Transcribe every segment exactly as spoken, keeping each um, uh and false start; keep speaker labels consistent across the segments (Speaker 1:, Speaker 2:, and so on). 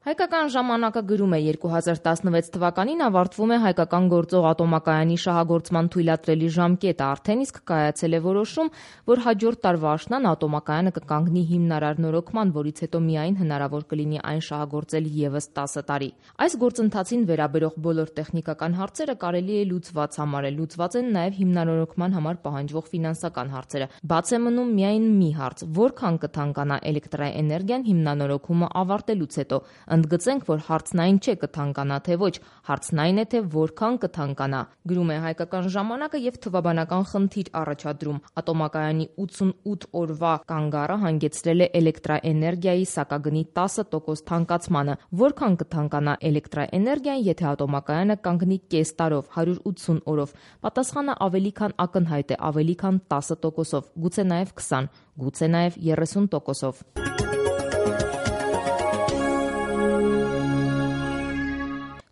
Speaker 1: Հայկական ժամանակը գրում է երկու հազար տասնվեց թվականին ավարտվում է հայկական գործող ատոմակայանի շահագործման թույլատրելի ժամկետը, արդեն իսկ կայացել է որոշում, որ հաջորդ տարվա աշնան ատոմակայանը կկանգնի հիմնարար նորոգման, որից հետո միայն հնարավոր կլինի այն շահագործել ևս տասը տարի։ Այս գործընթացին վերաբերող բոլոր տեխնիկական հարցերը կարելի է լուծված համարել, լուծված են նաև հիմնանորոգման համար պահանջվող ֆինանսական հարցերը։ Բաց է մնում միայն մի հարց՝ որքան կթանկանա էլեկտրաէներգիան հիմնանորոգումը ավարտելուց հետո։ Ընդգծենք, որ հարցն այն չէ կթանկանա թե ոչ, հարցն այն է, թե որքան կթանկանա։ Գրում է Հայկական ժամանակը եւ թվաբանական խնդիր առաջադրում։ Ատոմակայանի ութսունութ օրվա կանգառը հանգեցրել է էլեկտրաէներգիայի սակագնի տասը տոկոս թանկացմանը։ Որքան կթանկանա էլեկտրաէներգիան, եթե ատոմակայանը կանգնի կես տարով, հարյուր ութսուն օրով։ Պատասխանը ավելի քան ակնհայտ է, ավելի քան տասը տոկոսով, գուցե նաեւ քսան, գուցե նաեւ երեսուն տոկոսով։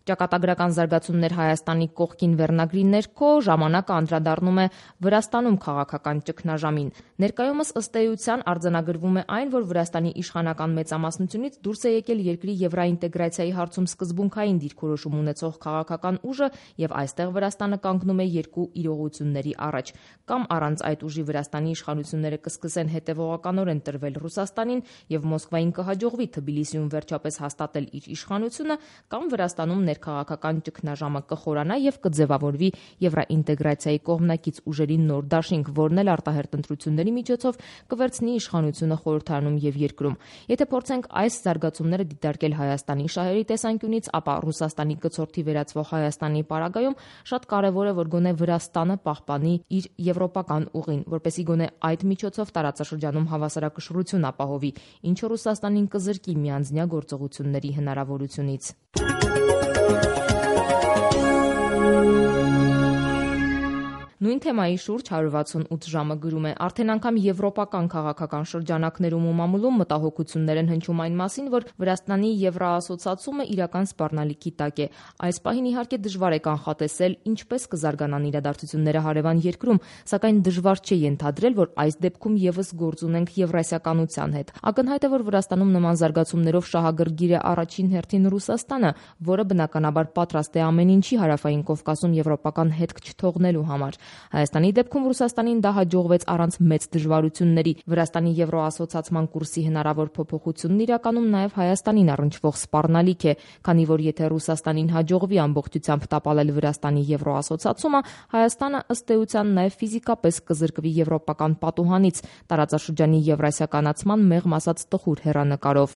Speaker 1: Ճակատագրական զարգացումներ Հայաստանի կողքին վերնագրի ներքո ժամանակը անդրադառնում է Վրաստանում քաղաքական ճգնաժամին։ Ներկայումս ըստ էության արձանագրվում է այն, որ Վրաստանի իշխանական մեծամասնությունից դուրս է եկել երկրի եվրոինտեգրացիայի հարցում սկզբունքային դիրքորոշում ունեցող քաղաքական ուժը, եւ այստեղ Վրաստանը կանգնում է երկու իրողությունների առաջ։ Կամ առանց այդ ուժի Վրաստանի իշխանությունները կսկսեն հետևողականորեն տրվել Ռուսաստանին եւ Մոսկվային կհաջողվի Թբիլիսիում վերջապես հաստատել իր իշխանությունը, կամ Վրաստանում քաղաքական ճգնաժամը կխորանա եւ կձևավորվի եվրոինտեգրացիայի կողմնակից ուժերի նոր դաշինք, որն էլ արտահերտ ընտրությունների միջոցով կվերցնի իշխանությունը խորհրդարանում եւ երկրում։ Եթե փորձենք այս զարգացումները դիտարկել Հայաստանի շահերի տեսանկյունից, ապա Ռուսաստանի կցորդի վերածվող Հայաստանի պարագայում շատ կարեւոր է, որ գոնե Վրաստանը պահպանի իր եվրոպական ուղին, որպեսզի գոնե այդ միջոցով տարածաշրջանում հավասարակշռություն ապահովի, ինչը Ռուսաստանին կզրկի միանձնյա գործողությունների հնարավորությունից։ Նույն թեմայի շուրջ հարյուր վաթսունութ ժամը գրում է. արդեն անգամ եվրոպական քաղաքական շրջանակներում ու մամուլում մտահոգություններ են հնչում այն մասին, որ Վրաստանի եվրոասոցացումը իրական սպառնալիքի տակ է։ Այս պահին իհարկե դժվար է կանխատեսել ինչպես կզարգանան իրադարձությունները հարևան երկրում, սակայն դժվար չէ ենթադրել, որ այս դեպքում եւս գործ ունենք եվրասիականության հետ։ Ակնհայտ է, որ Վրաստանում նման զարգացումներով շահագրգիռ է առաջին հերթին Ռուսաստանը, որը բնականաբար պատրաստ է ամեն ինչի Հարավային Կովկասում եվրոպական հետք չթողնելու համար։ Հայաստանի դեպքում Ռուսաստանին դա հաջողվեց առանց մեծ դժվարությունների։ Վրաստանի եվրոասոցացման կուրսի հնարավոր փոփոխությունն իրականում նաև Հայաստանին առնչվող սպառնալիք է, քանի որ եթե Ռուսաստանին հաջողվի ամբողջությամբ տապալել Վրաստանի եվրոասոցացումը, Հայաստանը ըստ էության նաև ֆիզիկապես կզրկվի եվրոպական պատուհանից, տարածաշրջանի եվրասիականացման մեղմ ասած տխուր հեռանկարով։